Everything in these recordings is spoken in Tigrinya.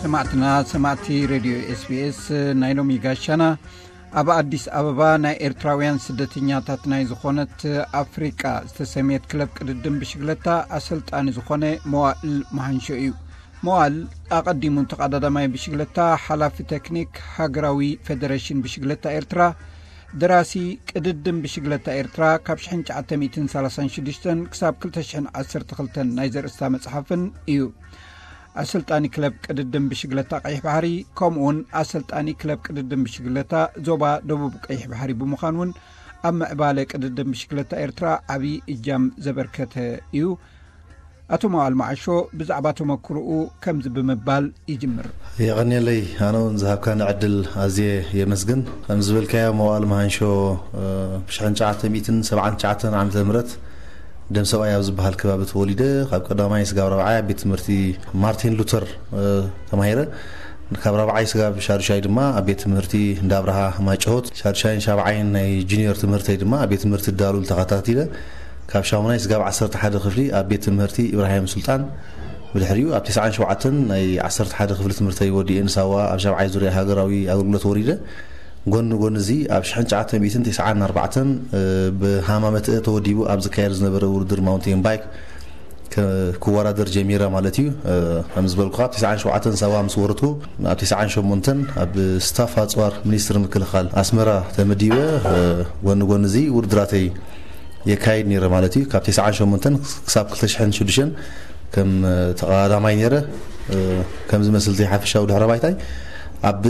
ሰማዕትና፣ ሰማዕቲ ሬድዮ ኤስቢኤስ፣ ናይ ሎሚ ጋሻና ኣብ ኣዲስ ኣበባ ናይ ኤርትራውያን ስደተኛታት ናይ ዝኾነት ኣፍሪቃ ዝተሰምየት ክለብ ቅድድም ብሽግለታ ኣሰልጣኒ ዝኾነ መዋእል መሃንሾ እዩ። መዋእል ኣቐዲሙ ተቐዳዳማይ ብሽግለታ፣ ሓላፊ ቴክኒክ ሃገራዊ ፌደሬሽን ብሽግለታ ኤርትራ፣ ደራሲ ቅድድም ብሽግለታ ኤርትራ ካብ ሽሕን ትሽዓተ ሚእትን ሰላሳን ሽዱሽተን ክሳብ ክልተ ሽሕን ዓሰርተ ክልተን ናይ ዘርእስታ መጽሓፍን እዩ። ኣሰልጣኒ ክለብ ቅድድም ብሽግለታ ቀይሕ ባሕሪ፣ ከምኡውን ኣሰልጣኒ ክለብ ቅድድም ብሽግለታ ዞባ ደቡብ ቀይሕ ባሕሪ ብምዃን እውን ኣብ ምዕባለ ቅድድም ብሽግለታ ኤርትራ ዓቢ እጃም ዘበርከተ እዩ። ኣቶ መዋል መዓሾ ብዛዕባ ተመክሮኡ ከምዚ ብምባል ይጅምር። የቐንየለይ፣ ኣነ እውን ዝሃብካኒ ዕድል ኣዝየ የመስግን። ከም ዝበልካዮ፣ መዋል መሃንሾ፣ እ፣ ብሽሕን ትሽዓተ ሚእትን ሰብዓን ትሽዓተን ዓመተ ምህረት ደም ሰብኣይ ኣብ ዝበሃል ከባቢ ተወሊደ፣ ካብ ቀዳማይ ስጋብ ራብዓይ ኣብ ቤት ትምህርቲ ማርቲን ሉተር፣ እ፣ ተማሂረ። ካብ ራብዓይ ስጋብ ሻዱሻይ ድማ ኣብ ቤት ትምህርቲ እንዳ ኣብርሃ ማጭሆት፣ ሻዱሻይን ሻብዓይን ናይ ጁኒየር ትምህርተይ ድማ ኣብ ቤት ትምህርቲ ዳሉል ተኸታቲለ። ካብ ሻሙናይ ስጋብ ዓሰርተ ሓደ ክፍሊ ኣብ ቤት ትምህርቲ ኢብራሂም ሱልጣን፣ ብድሕሪኡ ኣብ ተስዓን ሸውዓተን ናይ ዓሰርተ ሓደ ክፍሊ ትምህርተይ ወዲኤ ንሳዋ ኣብ ሻብዓይ ዙርያ ሃገራዊ ኣገልግሎት ወሪደ። ጎኒ ጎኒ እዚ ኣብ ሽሕን ትሽዓተ ሚእትን ተስዓን ኣርባዕተን፣ እ፣ ብሃማመትአ ተወዲቡ ኣብ ዝካየድ ዝነበረ ውድድር ማውንቴን ባይክ ከ-፣ ክወዳደር ጀሚረ ማለት እዩ። እ፣ ከም ዝበልኩኻ፣ ኣብ ተስዓን ሸውዓተን ሳዋ ምስ ወረድኩ፣ ኣብ ተስዓን ሸሞንተን ኣብ ስታፍ ኣጽዋር ሚኒስትሪ ምክልኻል ኣስመራ ተመዲበ፣ እ፣ ጎኒ ጎኒ እዚ ውድድራተይ የካይድ ነይረ ማለት እዩ። ካብ ተስዓን ሸሞንተን ክሳብ ክልተ ሽሕን ሽዱሽተን ከም፣ እ፣ ተቐዳዳማይ ነይረ። እ፣ ከም ዝመስል እቲ ሓፈሻዊ ድሕረ ባይታይ፣ ኣብ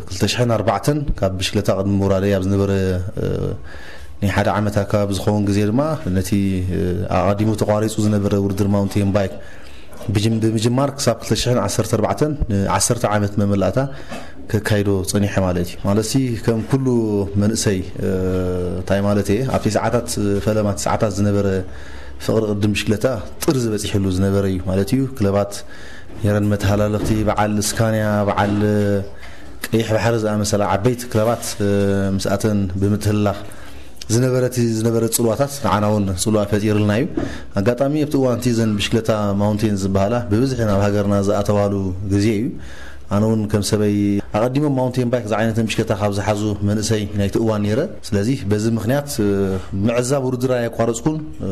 ክልተ ሽሕን ኣርባዕተን ካብ ብሽክለታ ቅድሚ ምውራደይ ኣብ ዝነበረ፣ እ፣ ናይ ሓደ ዓመት ኣካባቢ ዝኸውን ግዜ ድማ ነቲ፣ እ፣ ኣቐዲሙ ተቋሪጹ ዝነበረ ውድድር ማውንቴን ባይክ ብጅም-፣ ብምጅማር ክሳብ ክልተ ሽሕን ዓሰርተ ኣርባዕተን ንዓሰርተ ዓመት መመላእታ ከካይዶ ጸኒሐ ማለት እዩ። ማለትሲ ከም ኩሉ መንእሰይ፣ እ፣ እንታይ ማለት እየ፣ ኣብቲ ሰዓታት፣ እ፣ ፈለማ እቲ ሰዓታት ዝነበረ ፍቕሪ ቅድም ብሽክለታ ጥርዚ በጺሕሉ ዝነበረ እዩ ማለት እዩ። ክለባት ነይረን መተሃላለኽቲ፣ በዓል ስካንያ፣ በዓል ቀይሕ ባሕሪ ዝኣመሰላ ዓበይቲ ክለባት፣ እ፣ ምስኣተን ብምትህልላኽ ዝነበረት፣ ዝነበረ ጽልዋታት ንዓና እውን ጽልዋ ፈጢርልና እዩ። ኣጋጣሚ ኣብቲ እዋን እቲ ዘን ብሽክለታ ማውንቴን ዝበሃላ ብብዝሒ ናብ ሃገርና ዝኣተዋሉ ግዜ እዩ። ኣነ እውን ከም ሰበይ ኣቐዲሞም ማውንቴን ባይክ ዝዓይነተን ብሽክለታ ካብ ዝሓዙ መንእሰይ ናይቲ እዋን ነይረ። ስለዚ በዚ ምኽንያት፣ እ፣ ምዕዛብ ውድድር ኣየቋረጽኩን፣ እ፣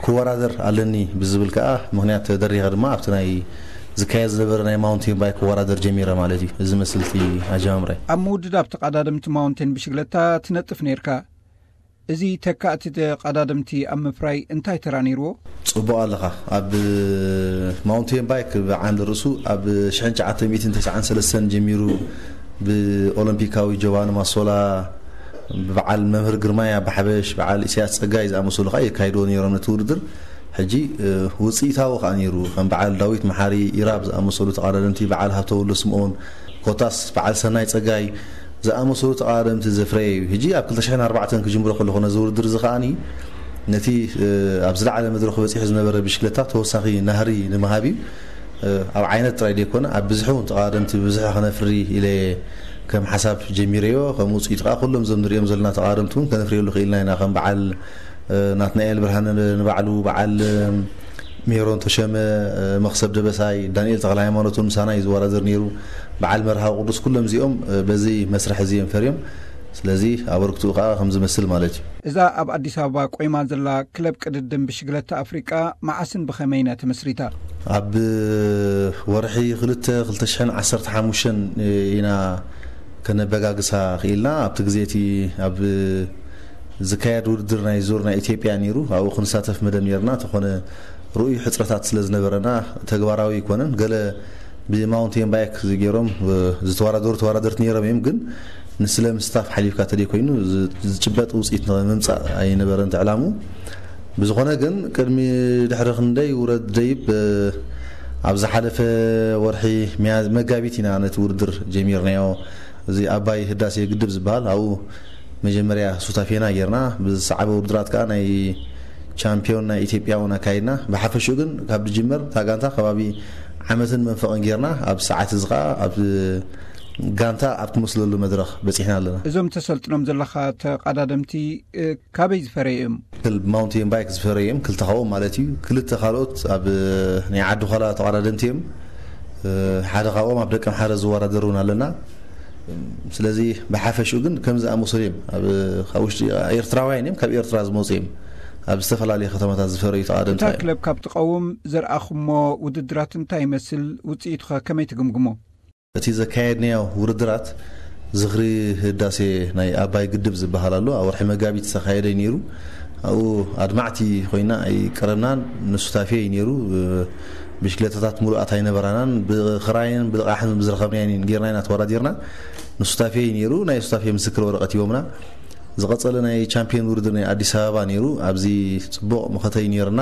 ክወዳደር ኣለኒ ብዝብል ከኣ ምኽንያት ተደሪኸ ድማ ኣብቲ ናይ ዝካየድ ዝነበረ ናይ ማውንቴን ባይክ ክወዳደር ጀሚረ ማለት እዩ። እዚ መስልቲ ኣጀማምራይ። ኣብ ምውድዳብ ተቐዳደምቲ ማውንቴን ብሽግለታ ትነጥፍ ነይርካ። እዚ ተካእቲ ተቐዳደምቲ ኣብ ምፍራይ እንታይ ተራ ነይርዎ? ጽቡቕ ኣለኻ። ኣብ ማውንቴን ባይክ ብዓንዲ ርእሱ ኣብ ሽሕን ትሽዓተ ሚእትን ተስዓን ሰለስተን ጀሚሩ ብኦሎምፒካዊ ጆቫኒ ማሶላ፣ ብበዓል መምህር ግርማይ ኣባሓበሽ፣ በዓል ኢሳያስ ጸጋይ ዝኣመሰሉ ከኣ የካይድዎ ነይሮም ነቲ ውድድር። ሕጂ፣ እ፣ ውጽኢታዊ ከኣ ነይሩ። ከም በዓል ዳዊት መሓሪ፣ ኢራብ ዝኣመሰሉ ተቐዳደምቲ፣ በዓል ሃብተወልደ ስምኦን፣ ኮታስ በዓል ሰናይ ጸጋይ ዝኣመሰሉ ተቐዳደምቲ ዘፍረየ እዩ። ሕጂ ኣብ ክልተ ሽሕን ኣርባዕተን ክጅምሮ ከለኹ ነዚ ውድድር እዚ ከኣኒ ነቲ፣ እ፣ ኣብ ዝለዓለ መድረኹ በጺሑ ዝነበረ ብሽክለታ ተወሳኺ ናህሪ ንምሃብ እዩ። እ፣ ኣብ ዓይነት ጥራይ ዘይኮነ፣ ኣብ ብዝሒ እውን ተቐዳደምቲ ብብዝሒ ከነፍሪ ኢለ ከም ሓሳብ ጀሚረዮ። ከም ውጽኢት ከኣ ኩሎም እዞም ንሪኦም ዘለና ተቐዳደምቲ እውን ከነፍርየሉ ክኢልና ኢና። ከም በዓል፣ እ፣ ናትናኤል ብርሃነ ንባዕሉ፣ በዓል፣ እ፣ ሜሮን ተሸመ፣ እ፣ መኽሰብ ደበሳይ፣ ዳንኤል ተኽለ ሃይማኖት እውን ምሳና እዩ ዝወዳደር ነይሩ። በዓል መርሃዊ ቅዱስ፣ ኩሎም እዚኦም፣ እ፣ በዚ መስርሕ እዚ እዮም ፈርዮም። ስለዚ ኣበርክትኡ ከኣ ከም ዝመስል ማለት እዩ። እዛ ኣብ ኣዲስ ኣበባ ቆይማ ዘላ ክለብ ቅድድም ብሽግለታ ኣፍሪቃ መዓስን ብኸመይን እያ ተመስሪታ? ኣብ ወርሒ ክልተ ክልተ ሽሕን ዓሰርተ ሓሙሽተን ኢና ከነበጋግሳ ክኢልና። ኣብቲ ግዜ እቲ ኣብ ዝካየድ ውድድር ናይ ዙር ናይ ኢትዮጵያ ነይሩ። ኣብኡ ክንሳተፍ መደብ ነይርና። ተኾነ ርኡይ ሕጽረታት ስለ ዝነበረና ተግባራዊ ኣይኮነን። ገለ ብማውንቴን ባይክ ገይሮም፣ እ፣ ዝተወዳደሩ ተወዳደርቲ ነይሮም እዮም፣ ግን ንስለ ምስታፍ ሓሊፍካ ተደይ ኮይኑ ዝ-፣ ዝጭበጥ ውጽኢት ንምምጻእ ኣይነበረን እቲ ዕላሙ። ብዝኾነ ግን ቅድሚ ድሕሪ ክንደይ ውረድ ደይብ፣ እ፣ ኣብ ዝሓለፈ ወርሒ ሚያ-፣ መጋቢት ኢና ነቲ ውድድር ጀሚርናዮ። እዚ ኣባይ ህዳሴ ግድብ ዝበሃል ኣብኡ መጀመርያ ሱታፌና ጌርና፣ ብዝሰዓበ ውድድራት ከኣ ናይ ቻምፒዮን ናይ ኢትዮጵያ እውን ኣካይድና። ብሓፈሽኡ ግን ካብ ዝጅመር እታ ጋንታ ከባቢ ዓመትን መንፈቕን ጌርና፣ ኣብ ሰዓት እዚ ከኣ ኣብ ጋንታ ኣብ ትመስለሉ መድረኽ በጺሕና ኣለና። እዞም ተሰልጥኖም ዘለኻ ተቐዳደምቲ፣ እ፣ ካበይ ዝፈረዩ እዮም? ክል-፣ ማውንቴን ባይክ ዝፈረዩ እዮም፣ ክልተ ካብኦም ማለት እዩ። ክልተ ካልኦት ኣብ ናይ ዓዲ ዃላ ተቐዳደምቲ እዮም። ሓደ ካብኦም ኣብ ደቀምሓረ ዝወዳደር እውን ኣለና። ስለዚ ብሓፈሽኡ ግን ከምዚ ዝኣመሰሉ እዮም። ኣብ ካብ ውሽጢ ኤርትራውያን እዮም፣ ካብ ኤርትራ ዝመፁ እዮም። ኣብ ዝተፈላለየ ከተማታት ዝፈረዩ ተቓደምቲ እታ እዮም። ክለብ ካብ ትቐውም ዘርኣኹሞ ውድድራት እንታይ ይመስል? ውፅኢቱኸ ከመይ ትግምግሞ? እቲ ዘካየድናዮ ውድድራት ዝኽሪ ህዳሴ ናይ ኣባይ ግድብ ዝበሃል ኣሎ። ኣብ ወርሒ መጋቢት ዝተኻየደ እዩ ነይሩ። ኣብኡ ኣድማዕቲ ኮይና ኣይቀረብናን። ንሱታፌ እዩ ነይሩ። ብሽክለታታት ሙሉኣት ኣይነበራናን። ብኽራይን ብልቓሕን ብዝረኸብናዮ ጌርና ኢና ተወዳዲርና። ንሱታፌ እዩ ነይሩ። ናይ ሱታፌ ምስክር ወረቐት ሂቦምና። ዝቐጸለ ናይ ቻምፒዮን ውድድር ናይ ኣዲስ ኣበባ ነይሩ። ኣብዚ ጽቡቕ መኸተይ ነይርና።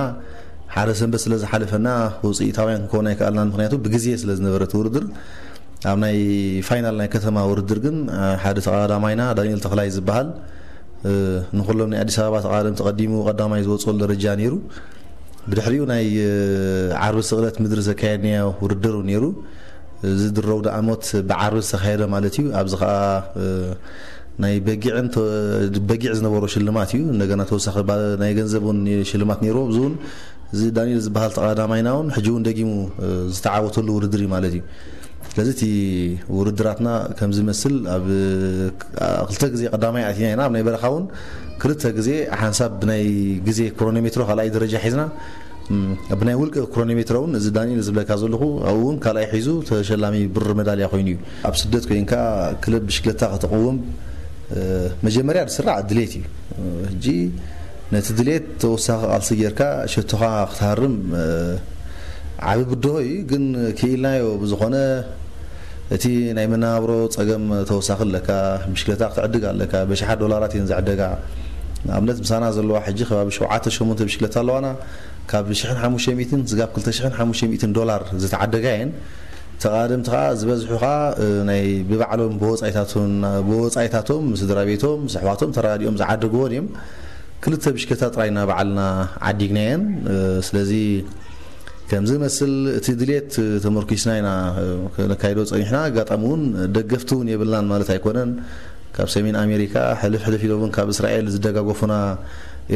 ሓደ ሰንበት ስለ ዝሓለፈና ውጽኢታውያን ክንከውን ኣይከኣልናን። ምኽንያቱ ብግዜ ስለ ዝነበረ እቲ ውድድር። ኣብ ናይ ፋይናል ናይ ከተማ ውድድር ግን ሓደ ተቐዳማይና ዳንኤል ተኽላይ ዝበሃል ንኩሎም ናይ ኣዲስ ኣበባ ተቐዳደምቲ ቀዲሙ ቀዳማይ ዝወፅሉ ደረጃ ነይሩ። ብድሕሪኡ ናይ ዓርቢ ስቕለት ምድሪ ዘካየድናዮ ውድድር እውን ነይሩ። እዚ ድረው ደኣሞት ብዓርቢ ዝተኻየደ ማለት እዩ። ኣብዚ ከዓ ናይ በጊዕን በጊዕ ዝነበሮ ሽልማት እዩ። እንደገና ተወሳኺ ናይ ገንዘብ እውን ሽልማት ነይሩ። ኣብዚ እውን እዚ ዳንኤል ዝበሃል ተቐዳማይና እውን ሕጂ እውን ደጊሙ ዝተዓወተሉ ውድድር እዩ ማለት እዩ። ስለዚ እቲ ውድድራትና ከም ዝመስል ኣብ ክልተ ግዜ ቀዳማይ ኣቲና ኢና። ኣብ ናይ በረኻ እውን ክልተ ግዜ ሓንሳብ ብናይ ግዜ ክሮኖሜትሮ ካልኣይ ደረጃ ሒዝና፣ ብናይ ውልቀ ክሮኖሜትሮ እውን እዚ ዳንኤል ዝብለካ ዘለኹ ኣብኡ እውን ካልኣይ ሒዙ ተሸላሚ ብሪ መዳልያ ኮይኑ እዩ። ኣብ ስደት ኮይንካ ክለብ ብሽክለታ ከተቕውም መጀመርያ ዝስራዕ ድሌት እዩ። ሕጂ ነቲ ድሌት ተወሳኺ ቃልሲ ጌርካ ሸቶኻ ክትሃርም ዓቢ ብድሆ እዩ። ግን ክኢልናዮ ብዝኾነ እቲ ናይ መነባብሮ ጸገም ተወሳኺ ኣለካ። ብሽክለታ ክትዕድግ ኣለካ። በሽሓት ዶላራት እየን ዝዕደጋ። ንኣብነት ምሳና ዘለዋ ሕጂ ከባቢ ሸውዓተ ሸሞንተ ብሽክለታ ኣለዋና። ካብ ሽሕን ሓሙሽተ ሚእትን ስጋብ ክልተ ሽሕን ሓሙሽተ ሚእትን ዶላር ዝተዓደጋ እየን። ተቓደምቲ ከዓ ዝበዝሑ ከዓ ናይ ብባዕሎም ብወፃኢታቶም ስድራ ቤቶም ምስ ኣሕዋቶም ተራዲኦም ዝዓደግዎን እዮም። ክልተ ብሽክለታ ጥራይ ኢና ባዕልና ዓዲግናየን። ስለዚ ከምዚ መስል እቲ ድሌት ተመርኪስና ኢና ነካይዶ ፀኒሕና። ኣጋጣሚ እውን ደገፍቲ እውን የብልናን ማለት ኣይኮነን። ካብ ሰሜን ኣሜሪካ ሕልፍ ሕልፍ ኢሎም እውን ካብ እስራኤል ዝደጋገፉና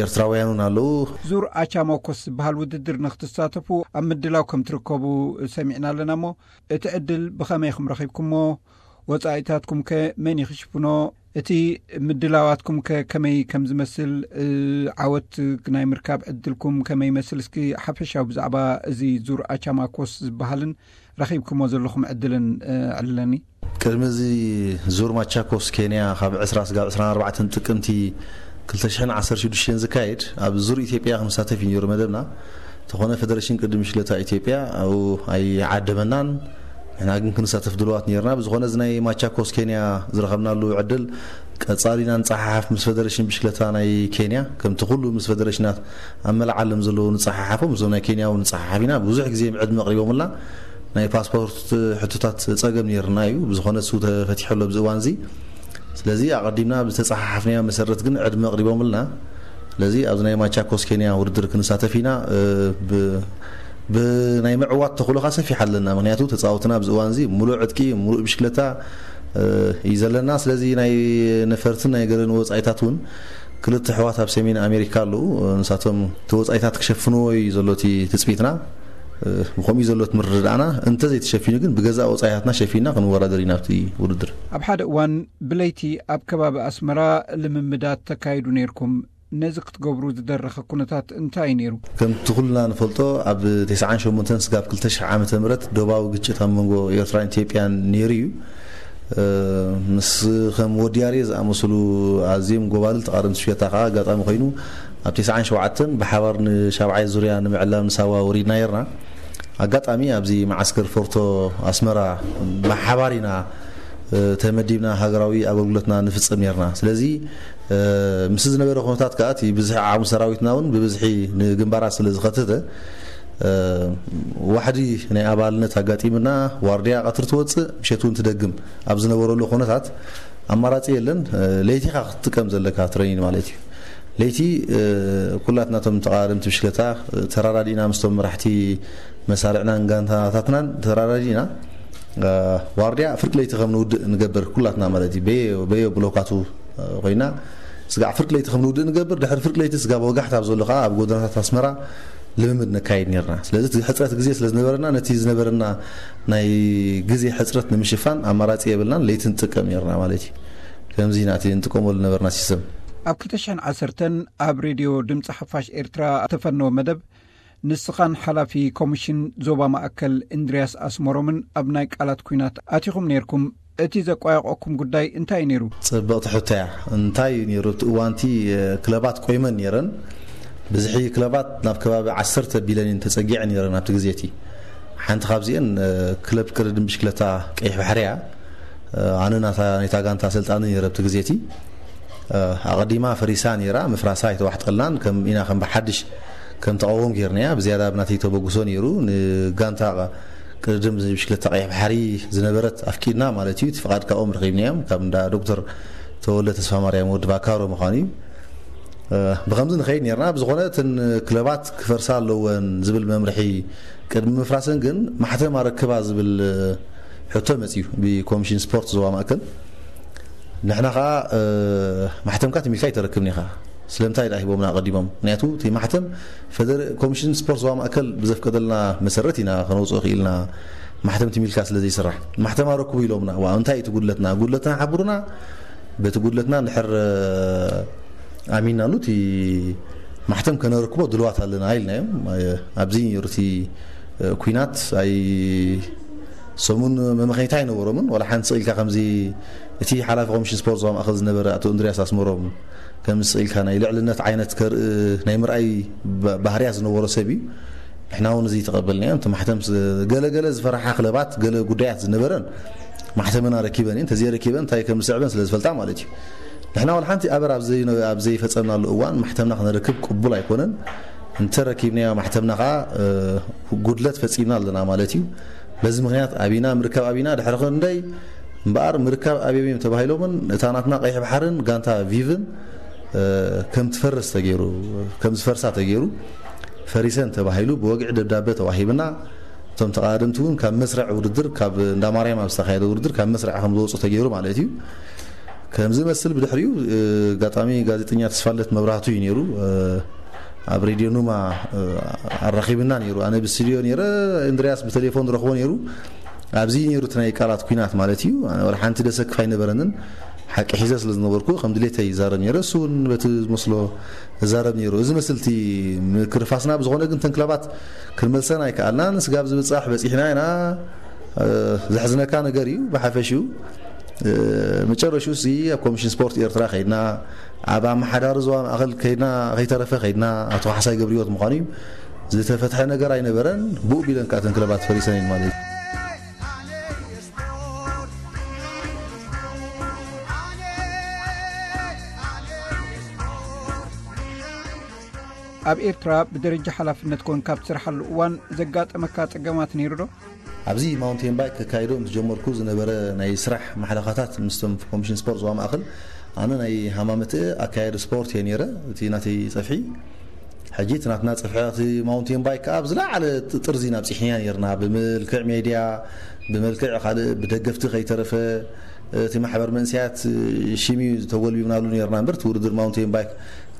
ኤርትራውያን እውን ኣለዉ። ዙር ኣቻሞኮስ ዝበሃል ውድድር ንክትሳተፉ ኣብ ምድላው ከም ትርከቡ ሰሚዕና ኣለና እሞ እቲ ዕድል ብኸመይ ኢኹም ረኺብኩሞ? ወጻኢታትኩም ከ መን ይኽሽፍኖ? እቲ ምድላዋትኩም ከ ከመይ ከም ዝመስል? ዓወት ናይ ምርካብ ዕድልኩም ከመይ ይመስል? እስኪ ሓፈሻዊ ብዛዕባ እዚ ዙር ኣቻማኮስ ዝበሃልን ረኺብኩሞ ዘለኹም ዕድልን ኣዕልለኒ። ቅድሚ እዚ ዙር ማቻኮስ ኬንያ ካብ ዕስራ ስጋብ ዕስራን ኣርባዕተን ጥቅምቲ ክልተ ሽሕን ዓሰርተ ሽዱሽተን ዝካየድ ኣብ ዙር ኢትዮጵያ ክንሳተፍ እዩ ነይሩ መደብና። እንተኾነ ፌደሬሽን ቅድም ሽለታ ኢትዮጵያ ኣብኡ ኣይዓደመናን። ንሕና ግን ክንሳተፍ ድልዋት ነይርና። ብዝኾነ እዚ ናይ ማቻኮስ ኬንያ ዝረኸብናሉ ዕድል ቀጻሊና ንጸሓሓፍ ምስ ፌደሬሽን ብሽክለታ ናይ ኬንያ፣ ከምቲ ኩሉ ምስ ፌደሬሽናት ኣብ መላእ ዓለም ዘለዉ ንጸሓሓፎም፣ እዞም ናይ ኬንያ እውን ንጸሓሓፍ ኢና። ብዙሕ ግዜ ዕድመ ኣቕሪቦምልና። ናይ ፓስፖርት ሕቶታት ጸገም ነይርና እዩ። ብዝኾነ እሱ ተፈቲሑ ኣሎ ኣብዚ እዋን እዚ። ስለዚ ኣቐዲምና ብተጸሓሓፍናዮ መሰረት ግን ዕድመ ኣቕሪቦምልና። ስለዚ ኣብዚ ናይ ማቻኮስ ኬንያ ውድድር ክንሳተፍ ኢና። ብ-፣ ብናይ ምዕዋት ተኽእሎኻ ሰፊሕ ኣለና። ምኽንያቱ ተጻወትና ኣብዚ እዋን እዚ ሙሉእ ዕጥቂ፣ ሙሉእ ብሽክለታ እዩ ዘለና። ስለዚ ናይ ነፈርትን ናይ ገለን ወጻኢታት እውን ክልተ ኣሕዋት ኣብ ሰሜን ኣሜሪካ ኣለዉ። ንሳቶም እቲ ወጻኢታት ክሸፍንዎ እዩ ዘሎ እቲ ትጽቢትና። ብኸምኡ እዩ ዘሎ እቲ ምርድዳእና። እንተዘይተሸፊኑ ግን ብገዛእ ወጻኢታትና ሸፊንና ክንወዳደር ኢና ኣብቲ ውድድር። ኣብ ሓደ እዋን ብለይቲ ኣብ ከባቢ ኣስመራ ልምምዳት ተካይዱ ነይርኩም። ነዚ ክትገብሩ ዝደረኸ ኩነታት እንታይ እዩ ነይሩ? ከምቲ ኩልና ንፈልጦ ኣብ ተስዓን ሸሞንተን ስጋብ ክልተ ሽሕ ዓመተ ምህረት ዶባዊ ግጭት ኣብ መንጎ ኤርትራን ኢትዮጵያን ነይሩ እዩ። ምስ ከም ወዲ ኣርየ ዝኣመሰሉ ኣዝዮም ጎባልል ተቓደምቲ ሽፍታ ከዓ ኣጋጣሚ ኮይኑ ኣብ ተስዓን ሸውዓተን ብሓባር ንሻብዓይ ዙርያ ንምዕላም ንሳዋ ወሪድና ነይርና። ኣጋጣሚ ኣብዚ መዓስከር ፎርቶ ኣስመራ ብሓባር ኢና ተመዲብና ሃገራዊ ኣገልግሎትና ንፍጽም ነይርና። ስለዚ ምስ ዝነበረ ኩነታት ከዓ እቲ ብዝሒ ዓቕሚ ሰራዊትና እውን ብብዝሒ ንግንባራት ስለ ዝኸተተ ዋሕዲ ናይ ኣባልነት ኣጋጢምና። ዋርድያ ቀትሪ ትወፅእ፣ ምሸት እውን ትደግም። ኣብ ዝነበረሉ ኩነታት ኣማራፂ የለን። ለይቲ ኢኻ ክትጥቀም ዘለካ ትረይን ማለት እዩ። ለይቲ ኩላትና እቶም ተቓደምቲ ብሽክለታ ተራዳዲእና ምስቶም መራሕቲ መሳርዕናን ጋንታታትናን ተራዳዲእና ዋርድያ ፍርቂ ለይቲ ከም ንውድእ ንገብር ኩላትና ማለት እዩ። በየ በየ ብሎካቱ ኮይና ስጋዕ ፍርቂ ለይቲ ከም ንውድእ ንገብር። ድሕሪ ፍርቂ ለይቲ ስጋብ ወጋሕታ ኣብ ዘሎ ከዓ ኣብ ጎደናታት ኣስመራ ልምምድ ነካይድ ነርና። ስለዚ እቲ ሕፅረት ግዜ ስለ ዝነበረና፣ ነቲ ዝነበረና ናይ ግዜ ሕፅረት ንምሽፋን ኣማራፂ የብልናን፣ ለይቲ ንጥቀም ነርና ማለት እዩ። ከምዚ ኢና እቲ ንጥቀመሉ ነበርና ሲስተም። ኣብ ክልተ ሽሕን ዓሰርተን ኣብ ሬድዮ ድምፂ ሓፋሽ ኤርትራ እተፈነወ መደብ፣ ንስኻን ሓላፊ ኮሚሽን ዞባ ማእከል እንድርያስ ኣስመሮምን ኣብ ናይ ቃላት ኲናት ኣቲኹም ነይርኩም። እቲ ዘቋየቆኩም ጉዳይ እንታይ እዩ ነይሩ? ጽብቕቲ ሕቶ እያ። እንታይ እዩ ነይሩ? እቲ እዋንቲ ክለባት ቆይመን ነይረን። ብዝሒ ክለባት ናብ ከባቢ ዓሰርተ ቢልዮን ተጸጊዐን ነይረን ኣብቲ ግዜ እቲ። ሓንቲ ካብዚአን ክለብ ቅድድም ብሽክለታ ቀይሕ ባሕሪ እያ። ኣነ ናታ ናይታ ጋንታ ኣሰልጣኒ ነይረ ኣብቲ ግዜ እቲ። ኣቐዲማ ፈሪሳ ነይራ። ምፍራሳ ኣይተዋሕጠልናን። ከም ኢና ከም ብሓድሽ ከም ተቃወም ጌርናያ። ብዝያዳ ብናተይ ተበግሶ ነይሩ። ንጋንታ ቅድድም ብሽክለታ ቀይሕ ባሕሪ ዝነበረት ኣፍቂድና ማለት እዩ። እቲ ፍቓድ ካብኦም ረኺብናዮም፣ ካብ እንዳ ዶክተር ተወልደ ተስፋ ማርያም ወዲ ባካሮ ምዃኑ እዩ። ብኸምዚ ንኸይድ ነርና። ብዝኾነ እተን ክለባት ክፈርሳ ኣለወን ዝብል መምርሒ ቅድሚ ምፍራሰን ግን ማሕተም ኣረክባ ዝብል ሕቶ መፅዩ ብኮሚሽን ስፖርት ዞባ ማእከል። ንሕና ከዓ ማሕተምካ ትሚልካ ኣይተረክብን ኢኻ። ስለምንታይ ደኣ ሂቦምና ኣቐዲሞም? ምክንያቱ እቲ ማሕተም ኮሚሽን ስፖርት ዞባ ማእከል ብዘፍቀደልና መሰረት ኢና ከነውፅኦ ክኢልና። ማሕተም ትሚልካ ስለ ዘይስራሕ ማሕተም ኣረክቡ ኢሎምና። ዋ እንታይ እቲ ጉድለትና? ጉድለትና ሓብሩና። በቲ ጉድለትና እንድሕር ኣሚንናሉ እቲ ማሕተም ከነረክቦ ድልዋት ኣለና ኢልናዮም። ኣብዚ ነይሩ እቲ ኩናት ኣይ ሰሙን መመኸኝታ ኣይነበሮምን። ዋላ ሓንቲ ስቕ ኢልካ ከምዚ እቲ ሓላፊ ኮሚሽን ስፖርት ዞባ ማእኸል ዝነበረ ኣቶ እንድርያስ ኣስመሮም ከም ስቕ ኢልካ ናይ ልዕልነት ዓይነት ከርኢ ናይ ምርኣይ ባህርያት ዝነበሮ ሰብ እዩ። ንሕና እውን እዚ ተቐበልናዮ። እቲ ማሕተም ገለገለ ዝፈራሓ ክለባት ገለ ጉዳያት ዝነበረን ማሕተመን ኣረኪበን እየን። ተዘይረኪበን እንታይ ከም ዝስዕበን ስለ ዝፈልጣ ማለት እዩ። ንሕና ዋላ ሓንቲ ኣበር ኣብ ዘይፈፀምናሉ እዋን ማሕተምና ክነረክብ ቅቡል ኣይኮነን። እንተረኪብናዮ ማሕተምና ከዓ ጉድለት ፈፂምና ኣለና ማለት እዩ። በዚ ምክንያት ኣቢና ምርካብ ኣቢና ድሕሪ ክንደይ እምበኣር ምርካብ ኣብዮም እዮም ተባሂሎምን እታ ናትና ቀይሕ ባሕርን ጋንታ ቪቭን ከም ትፈርስ ተገይሩ ከም ዝፈርሳ ተገይሩ ፈሪሰን ተባሂሉ ብወግዒ ደብዳቤ ተዋሂብና። እቶም ተቓደምቲ እውን ካብ መስርዕ ውድድር ካብ እንዳ ማርያም ኣብ ዝተኻየደ ውድድር ካብ መስርዕ ከም ዝወፁ ተገይሩ ማለት እዩ። ከምዚ መስል ብድሕሪኡ ኣጋጣሚ ጋዜጠኛ ተስፋለት መብራህቱ እዩ ነይሩ። ኣብ ሬድዮ ኑማ ኣራኺብና ነይሩ። ኣነ ብስቱድዮ ነይረ፣ እንድርያስ ብቴሌፎን ዝረኽቦ ነይሩ። ኣብዚ ነይሩ እቲ ናይ ቃላት ኲናት ማለት እዩ። ኣነ ወላ ሓንቲ ደሰክፍ ኣይነበረንን። ሓቂ ሒዘ ስለ ዝነበርኩ ከም ድሌተይ ይዛረብ ነይረ። እሱ እውን በቲ ዝመስሎ እዛረብ ነይሩ። እዚ መስልቲ ምክርፋስና ብዝኾነ ግን ተንክለባት ክንመልሰን ኣይከኣልናን። ስጋብ ዝብጻሕ በጺሕና ኢና። ዘሕዝነካ ነገር እዩ። ብሓፈሽኡ መጨረሽኡ ሲ ኣብ ኮሚሽን ስፖርት ኤርትራ ከይድና ኣብ ኣመሓዳሪ ዞባ ማእኸል ከይድና ከይተረፈ ከይድና ኣቶ ካሕሳይ ገብርዮት ምዃኑ እዩ። ዝተፈትሐ ነገር ኣይነበረን። ብኡ ቢለን ከዓ ተንክለባት ፈሪሰን ማለት እዩ። ኣብ ኤርትራ ብደረጃ ሓላፍነት ኮንካ ኣብ ትሰርሓሉ እዋን ዘጋጠመካ ጸገማት ነይሩ ዶ? ኣብዚ ማውንቴን ባይክ ከካይዶ ምስ ጀመርኩ ዝነበረ ናይ ስራሕ ማሕለኻታት ምስቶም ኮሚሽን ስፖርት ዞባ ማእኸል ኣነ ናይ ሃማመት ኣካያዲ ስፖርት እየ ነይረ። እቲ ናተይ ጸፍሒ ሕጂ እቲ ናትና ጸፍሒ እቲ ማውንቴን ባይክ ከዓ ኣብ ዝለዓለ ጥርዚ ናብ ፂሕንያ ነርና። ብመልክዕ ሜድያ ብመልክዕ ካልእ ብደገፍቲ ከይተረፈ እቲ ማሕበር መንስያት ሽም እዩ ተጎልቢብናሉ ነርና እምበር እቲ ውድድር ማውንቴን ባይክ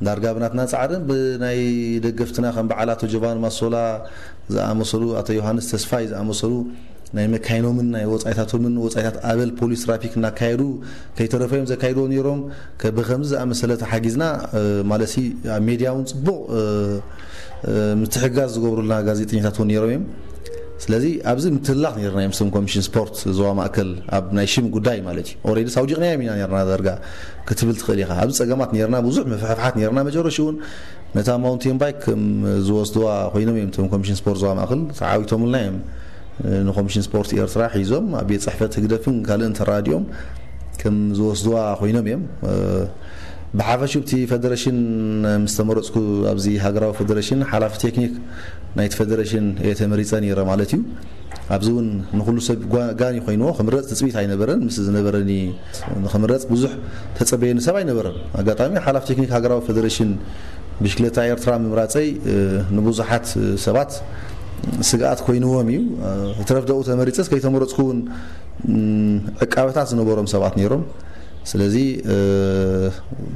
ዳርጋ ብናትና ጻዕርን ብናይ ደገፍትና ከም በዓል ኣቶ ጆቫን ማሶላ ዝኣመሰሉ ኣቶ ዮሃንስ ተስፋይ ዝኣመሰሉ ናይ መካይኖምን ናይ ወጻኢታቶምን ወጻኢታት ኣበል ፖሊስ ትራፊክ እናካየዱ ከይተረፈ እዮም ዘካይድዎ ነይሮም። ብከምዚ ዝኣመሰለ ተሓጊዝና ማለሲ ኣብ ሜድያ እውን ጽቡቕ ምትሕጋዝ ዝገብሩልና ጋዜጠኛታት እውን ነይሮም እዮም። ስለዚ ኣብዚ ምትላኽ ነርና እዮም ስም ኮሚሽን ስፖርት ዞባ ማእከል ኣብ ናይ ሽም ጉዳይ ማለት እዩ። ኦሬዲ ሳውዲቕናዮም ኢና ነርና ዳርጋ ክትብል ትኽእል ኢኻ። ኣብዚ ጸገማት ነርና ብዙሕ ምፍሕፍሓት ነርና መጨረሽኡ እውን ነታ ማውንቴን ባይክ ከም ዝወስድዋ ኮይኖም እዮም እቶም ኮሚሽን ስፖርት ዞባ ማእከል ተዓዊቶምልና እዮም። ንኮሚሽን ስፖርት ኤርትራ ሒዞም ኣብ ቤት ጽሕፈት ህግደፍን ካልእን ተራዲኦም ከም ዝወስድዋ ኮይኖም እዮም። ብሓፈሽኡ እቲ ፈደረሽን ምስ ተመረፅኩ ኣብዚ ሃገራዊ ፈደረሽን ሓላፊ ቴክኒክ ናይቲ ፈደረሽን እየ ተመሪፀ ነይረ ማለት እዩ። ኣብዚ እውን ንኩሉ ሰብ ጋን ይኮይንዎ ክምረፅ ትፅቢት ኣይነበረን። ምስ ዝነበረኒ ንክምረፅ ብዙሕ ተፀበየኒ ሰብ ኣይነበረን። ኣጋጣሚ ሓላፊ ቴክኒክ ሃገራዊ ፈደረሽን ብሽክለታ ኤርትራ ምምራፀይ ንብዙሓት ሰባት ስግኣት ኮይንዎም እዩ። ትረፍደኡ ተመሪፀስ ከይተመረፅኩ እውን ዕቃበታት ዝነበሮም ሰባት ነይሮም። ስለዚ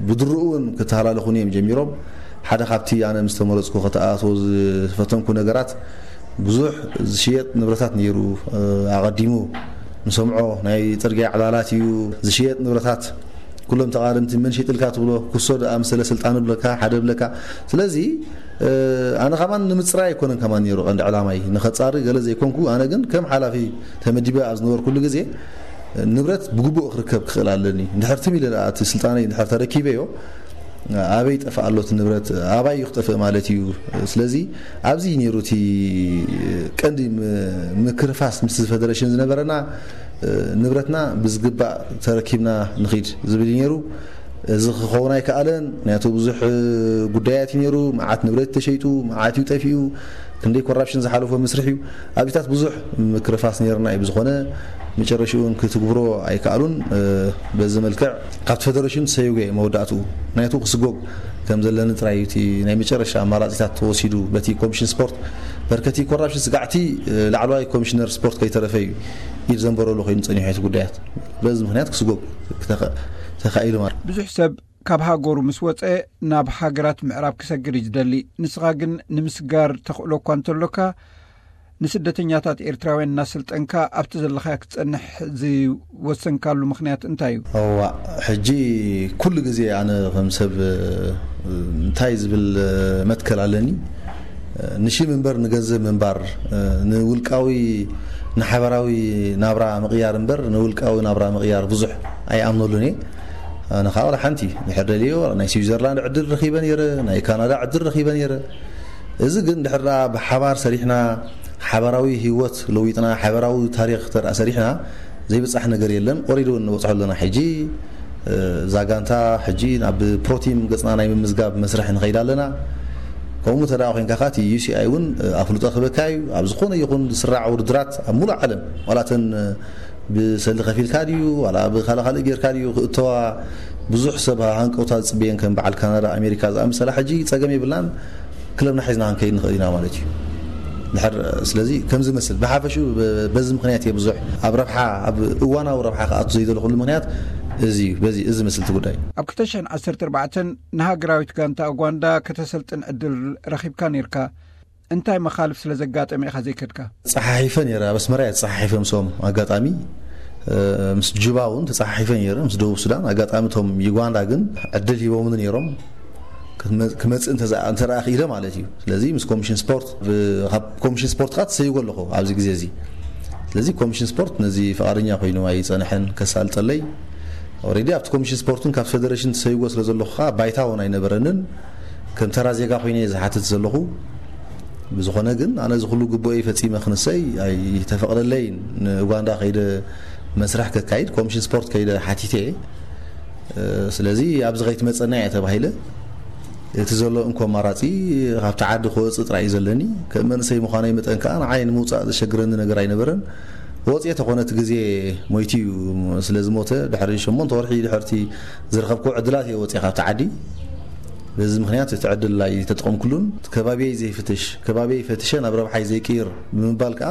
ብድርኡ እውን ክተሃላለኹኒ እዮም ጀሚሮም። ሓደ ካብቲ ኣነ ምስ ተመረጽኩ ከተኣትዎ ዝፈተንኩ ነገራት፣ ብዙሕ ዝሽየጥ ንብረታት ነይሩ። ኣቐዲሙ ንሰምዖ ናይ ጽርግያ ዕላላት እዩ፣ ዝሽየጥ ንብረታት። ኩሎም ተቓደምቲ መን ሸይጥልካ ትብሎ፣ ኩሶ ደኣ ምሰለ ስልጣን ብለካ፣ ሓደ ብለካ። ስለዚ ኣነ ከማን ንምጽራይ ኣይኮነን ከማን ነይሩ ቀንዲ ዕላማይ፣ ንኸጻሪ ገለ ዘይኮንኩ። ኣነ ግን ከም ሓላፊ ተመዲበ ኣብ ዝነበርኩሉ ግዜ፣ ንብረት ብግቡእ ክርከብ ክኽእል ኣለኒ። እንድሕር ትም ኢለ ደኣ እቲ ስልጣነይ እንድሕር ተረኪበዮ፣ ኣበይ ጠፍእ ኣሎ እቲ ንብረት፣ ኣባይ እዩ ክጠፍእ ማለት እዩ። ስለዚ ኣብዚ እዩ ነይሩ እቲ ቀንዲ ም-፣ ምክርፋስ ምስ ፈደረሽን ዝነበረና። ንብረትና ብዝግባእ ተረኪብና ንኺድ ዝብል እዩ ነይሩ። እዚ ክኸውን ኣይከኣለን፣ ምክንያቱ ብዙሕ ጉዳያት እዩ ነይሩ። መዓት ንብረት ተሸይጡ፣ መዓት እዩ ጠፊኡ፣ ክንደይ ኮራፕሽን ዝሓለፎ መስርሕ እዩ። ኣብዚታት ብዙሕ ምክርፋስ ነይርና እዩ። ብዝኾነ መጨረሽኡ እውን ክትግብሮ ኣይከኣሉን። በዚ መልክዕ ካብቲ ፈደረሽን ሰይጎ እየ መወዳእትኡ። ምክንያቱ ክስጎግ ከም ዘለኒ ጥራይ እዩ እቲ ናይ መጨረሻ ኣማራጺታት ተወሲዱ በቲ ኮሚሽን ስፖርት። በርከቲ ኮራፕሽን ስጋዕቲ ላዕለዋይ ኮሚሽነር ስፖርት ከይተረፈ እዩ ኢድ ዘንበረሉ ኮይኑ ጸኒሑ እቲ ጉዳያት። በዚ ምክንያት ክስጎግ ክተኸ-፣ ተኻኢሉ ማለት። ብዙሕ ሰብ ካብ ሃገሩ ምስ ወጸ ናብ ሃገራት ምዕራብ ክሰግር እዩ ዝደሊ። ንስኻ ግን ንምስጋር ተኽእሎ እኳ እንተሎካ፣ ንስደተኛታት ኤርትራውያን እናሰልጠንካ ኣብቲ ዘለኻዮ ክትጸንሕ ዝወሰንካሉ ምኽንያት እንታይ እዩ? እዋ፣ ሕጂ ኩሉ ግዜ ኣነ ከም ሰብ፣ እ፣ እንታይ ዝብል፣ እ፣ መትከል ኣለኒ? እ፣ ንሽም እምበር ንገንዘብ ምንባር፣ እ፣ ንውልቃዊ፣ ንሓበራዊ ናብራ ምቕያር እምበር ንውልቃዊ ናብራ ምቕያር ብዙሕ ኣይኣምነሉን እየ። ኣነ ከዓ ዋላ ሓንቲ ድሕር ደልዮ ናይ ስዊዘርላንድ ዕድል ረኺበ ነይረ፣ ናይ ካናዳ ዕድል ረኺበ ነይረ። እዚ ግን ድሕር ደኣ ብሓባር ሰሪሕና፣ ሓበራዊ ህይወት ለዊጥና፣ ሓበራዊ ታሪኽ ተርኣ ሰሪሕና፣ ዘይብጻሕ ነገር የለን። ኦሬዲ እውን ንበጽሖ ኣለና። ሕጂ፣ እ፣ እዛ ጋንታ ሕጂ ናብ ፕሮቲም ገጽና ናይ ምምዝጋብ መስርሕ ንኸይድ ኣለና። ከምኡ እንተ ደኣ ኮይንካ፣ ካቲ ዩ ሲ ኣይ እውን፣ እ፣ ኣፍልጦ ክህበካ እዩ። ኣብ ዝኾነ ይኹን ዝስራዕ ውድድራት ኣብ ሙሉእ ዓለም፣ ዋላ እተን፣ እ፣ ብሰልዲ ከፊልካ ድዩ፣ ዋላ ብኻልእ ካልእ ጌርካ ድዩ ክእተዋ፣ ብዙሕ ሰብ ሃንቀውታ ዝጽበየን ከም በዓል ካናዳ፣ ኣሜሪካ ዝኣመሰላ፣ ሕጂ ጸገም የብልናን። ክለብና ሒዝና ክንከይድ ንኽእል ኢና ማለት እዩ። ድሕር፣ ስለዚ ከም ዝመስል ብሓፈሽኡ በ-፣ በዚ ምኽንያት እየ ብዙሕ ኣብ ረብሓ፣ ኣብ እዋናዊ ረብሓ ክኣቱ ዘይደለኹሉ ምኽንያት እዚ እዩ። በዚ፣ እዚ ዝመስል እቲ ጉዳይ። ኣብ ክልተ ሽሕን ዓሰርተ ኣርባዕተን ንሃገራዊት ጋንታ ኡጋንዳ ከተሰልጥን ዕድል ረኺብካ ነይርካ። እንታይ መኻልፍ ስለ ዘጋጠመ ኢኻ ዘይከድካ? ተጸሓሒፈ ነይረ። ኣብ ኣስመራ እየ ተጸሓሒፈ ምስኦም። ኣጋጣሚ፣ እ፣ ምስ ጁባ እውን ተጸሓሒፈ ነይረ፣ ምስ ደቡብ ሱዳን። ኣጋጣሚ እቶም ዩጋንዳ ግን ዕድል ሂቦምኒ ነይሮም። ክመ-፣ ክመጽእ እንተ-፣ እንተ ደኣ ክኢለ ማለት እዩ። ስለዚ ምስ ኮሚሽን ስፖርት፣ ብ-፣ ካብ ኮሚሽን ስፖርት ከኣ ተሰይጎ ኣለኹ ኣብዚ ግዜ እዚ። ስለዚ ኮሚሽን ስፖርት ነዚ ፍቓደኛ ኮይኑ ኣይጸንሐን ከሳልጠለይ። ኦሬዲ ኣብቲ ኮሚሽን ስፖርትን ካብ ፌደሬሽን ተሰይጎ ስለ ዘለኹ ከኣ ባይታ እውን ኣይነበረንን። ከም ተራ ዜጋ ኮይነ እየ ዝሓትት ዘለኹ። ብዝኾነ ግን ኣነ እዚ ኩሉ ግቡእይ ፈጺመ ክንሰይ ኣይተፈቕደለይን። ንኡጋንዳ ከይደ መስርሕ ከካይድ ኮሚሽን ስፖርት ከይደ ሓቲተ እየ። እ፣ ስለዚ ኣብዚ ከይትመጸና እያ ተባሂለ። እቲ ዘሎ እንኮ ኣማራጺ ካብቲ ዓዲ ክወጽእ ጥራይ እዩ ዘለኒ። ከም መንእሰይ ምዃነይ መጠን ከኣ ንዓይ ንምውጻእ ዘሸግረኒ ነገር ኣይነበረን። ወጽኤ ተኾነ እቲ ግዜ ሞይቱ እዩ። ስለ ዝሞተ ድሕሪ ሸሞንተ ወርሒ ድሕርቲ ዝረኸብክዎ ዕድላት እየ ወጽኤ ካብቲ ዓዲ። በዚ ምኽንያት እቲ ዕድል ኣይተጠቐምኩሉን። ከባቢየይ ዘይፍትሽ፣ ከባቢየይ ፈትሸ ናብ ረብሓይ ዘይቅይር ብምባል ከኣ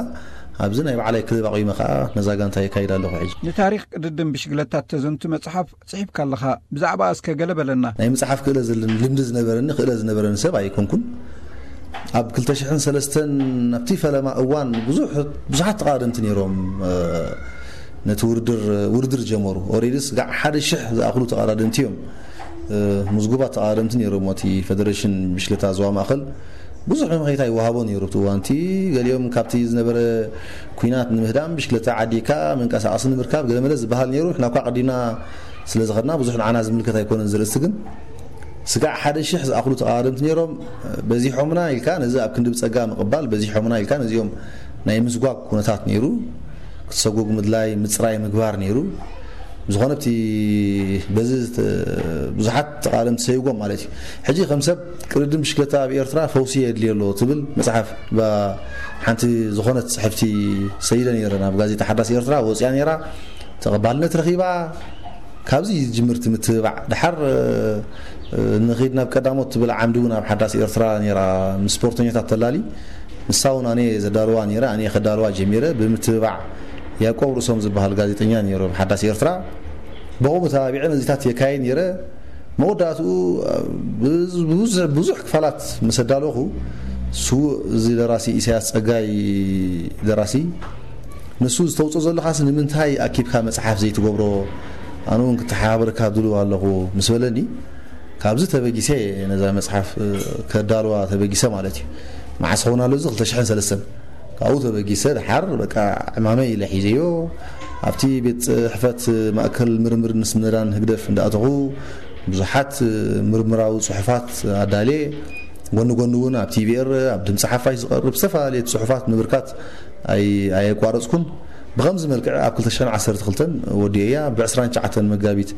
ኣብዚ ናይ ባዕላይ ክለብ ኣቑመ ከኣ ነዛ ጋንታ የካይድ ኣለኹ ሕጂ። ንታሪኽ ቅድድም ብሽግለታ እተዘንቱ መጽሓፍ ጽሒፍካ ኣለኻ። ብዛዕባ እስከ ገለ በለና። ናይ ምጽሓፍ ክእለ ዘለኒ፣ ልምዲ ዝነበረኒ፣ ክእለ ዝነበረኒ ሰብ ኣይኮንኩን። ኣብ ክልተ ሽሕን ሰለስተን ኣብቲ ፈለማ እዋን ብዙሕ-፣ ብዙሓት ተቓደምቲ ነይሮም፣ እ፣ ነቲ ውድድር፣ ውድድር ጀመሩ። ኦሬዲ ስጋዕ ሓደ ሽሕ ዝኣኽሉ ተቓዳደምቲ እዮም፣ እ፣ ምዝጉባት ተቓዳደምቲ ነይሮም። እቲ ፌደሬሽን ብሽክለታ ዞባ ማእከል ብዙሕ መምኸይታ ይወሃቦ ነይሩ። ኣብቲ እዋንቲ ገሊኦም ካብቲ ዝነበረ ኲናት ንምህዳም ብሽክለታ ዓዲካ መንቀሳቐሲ ንምርካብ ገለመለ ዝበሃል ነይሩ። ንሕና እኳ ቀዲምና ስለ ዝኸድና ብዙሕ ንዓና ዝምልከት ኣይኮነን። ዝርእስቲ ግን ስጋዕ ሓደ ሽሕ ዝኣኽሉ ተቓዳደምቲ ነይሮም። በዚሖምና ኢልካ ነዚ ኣብ ክንዲ ብጸጋ ምቕባል፣ በዚሖምና ኢልካ ነዚኦም ናይ ምስጓግ ኩነታት ነይሩ። ክትሰጉግ ምድላይ፣ ምጽራይ ምግባር ነይሩ። ብዝኾነ ኣብቲ በዚ ዝተ-፣ ብዙሓት ተቓደምቲ ሰይጎም ማለት እዩ። ሕጂ ከም ሰብ ቅድድም ብሽክለታ ኣብ ኤርትራ ፈውሲ የድልዮ ኣሎ ትብል መጽሓፍ ባ-፣ ሓንቲ ዝኾነት ጽሕፍቲ ሰይደ ነይረ። ናብ ጋዜጣ ሓዳስ ኤርትራ ወጽያ ነይራ። ተቐባልነት ረኺባ። ካብዚ ዝጅምር እቲ ምትብባዕ። ድሓር፣ እ፣ ንኺድ ናብ ቀዳሞት ትብል ዓምዲ እውን ኣብ ሓዳስ ኤርትራ ነይራ፣ ምስ ስፖርተኛታት ተላሊ። ንሳ እውን ኣነ ዘዳልዋ ነይረ፣ ኣነ ከዳልዋ ጀሚረ። ብምትብባዕ ያዕቆብ ርእሶም ዝበሃል ጋዜጠኛ ነይሩ ኣብ ሓዳስ ኤርትራ። ብኡ ተባቢዐ ነዚታት የካየ ነይረ። መወዳእትኡ ብዙ- ብዙ- ብዙሕ ክፋላት ምስ ኣዳለኹ፣ ስዉእ እዚ ደራሲ፣ ኢሳያስ ጸጋይ ደራሲ፣ ንሱ ዝተውፅኦ ዘለኻስ ንምንታይ ኣኪብካ መፅሓፍ ዘይትገብሮ? ኣነ እውን ክተሓባበረካ ድልው ኣለኹ ምስ በለኒ፣ ካብዚ ተበጊሰ ነዛ መፅሓፍ ከዳልዋ ተበጊሰ ማለት እዩ። መዓስ ኸውን ኣሎ እዚ ክልተ ሽሕን ሰለስተን። ካብኡ ተበጊሰ ደሓር በቃ ዕማመይ ኢለ ሒዘዮ። ኣብቲ ቤት ፅሕፈት ማእከል ምርምር ንስነዳን ህግደፍ እንዳኣተኹ ብዙሓት ምርምራዊ ፅሑፋት ኣዳልየ። ጎኒ ጎኒ እውን ኣብ ቲቪኤር ኣብ ድምፂ ሓፋሽ ዝቐርብ ዝተፈላለየ ፅሑፋት ምብርካት ኣይ- ኣየቋረፅኩን። ብኸምዚ መልክዕ ኣብ ክልተ ሽሕን ዓሰርተ ክልተን ወዲኤያ። ብ ዕስራን ትሽዓተን መጋቢት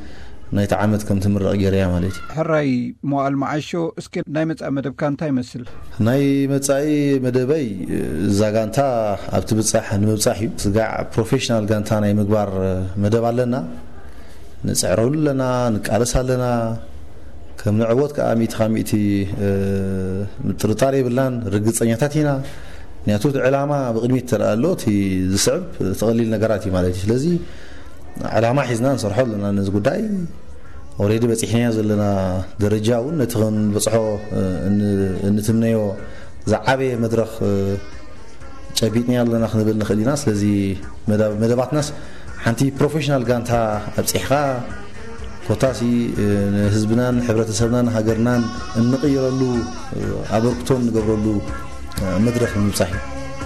ናይቲ ዓመት ከም ትምረቕ ገይረያ ማለት እዩ። ሕራይ መዋእል መዓሾ፣ እስኪ ናይ መጻኢ መደብካ እንታይ ይመስል? ናይ መጻኢ መደበይ እዛ ጋንታ ኣብ ትብጻሕ ንምብጻሕ እዩ። ስጋዕ ፕሮፌሽናል ጋንታ ናይ ምግባር መደብ ኣለና። ንጽዕረሉ ኣለና፣ ንቃለስ ኣለና። ከም ንዕወት ከዓ ሚእቲ ካብ ሚእቲ ጥርጣሬ የብልናን፣ ርግጸኛታት ኢና። ምክንያቱ እቲ ዕላማ ብቕድሚት ተረኣ ኣሎ፣ እቲ ዝስዕብ ተቐሊል ነገራት እዩ ማለት እዩ። ስለዚ ዕላማ ሒዝና ንሰርሖ ኣለና ነዚ ጉዳይ። ኦሬዲ በፂሕናዮ ዘለና ደረጃ እውን ነቲ ክንበፅሖ እ፣ ን- እንትምነዮ ዝዓበየ መድረኽ እ፣ ጨቢጥናዮ ኣለና ክንብል ንኽእል ኢና። ስለዚ መዳ- መደባትናስ ሓንቲ ፕሮፌሽናል ጋንታ ኣብፂሕኻ ኮታሲ እ፣ ንህዝብናን ሕብረተሰብናን ሃገርናን እንቕይረሉ እ፣ ኣበርክቶ እንገብረሉ እ፣ መድረኽ ንምብፃሕ እዩ።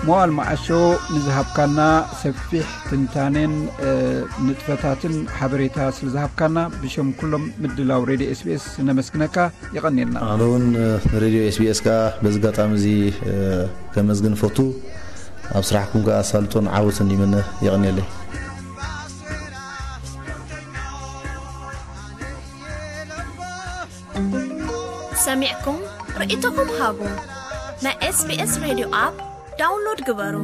መዋል መዓሾ፣ ንዝሃብካና ሰፊሕ ትንታኔን እ፣ ንጥፈታትን ሓበሬታ ስለ ዝሃብካና ብሸም ኩሎም ምድላው ሬድዮ ኤስቢኤስ ነመስግነካ። የቐንየልና። ኣነ እውን እ፣ ንሬድዮ ኤስቢኤስ ከዓ በዚ ኣጋጣሚ እዚ እ፣ ከመስግን ፈቱ። ኣብ ስራሕኩም ከዓ ኣሳልጦን ዓወትን ይምነ። የቐንየለይ። ሰሚዕኩም ርእይቶኹም ሃቡ። ናይ ኤስቢኤስ ሬድዮ ኣፕ ዳውንሎድ ግበሩ።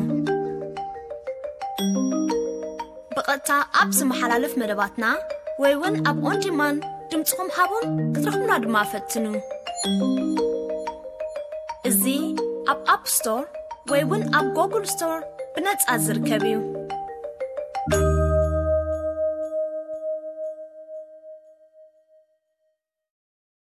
ብቐጥታ ኣብ ዝመሓላለፍ መደባትና ወይ እውን ኣብ ኦን ዲማንድ ድምፅኹም ሃቡን ክትረኽቡና ድማ ፈትኑ። እዚ ኣብ ኣፕ ስቶር ወይ እውን ኣብ ጎግል ስቶር ብነጻ ዝርከብ እዩ።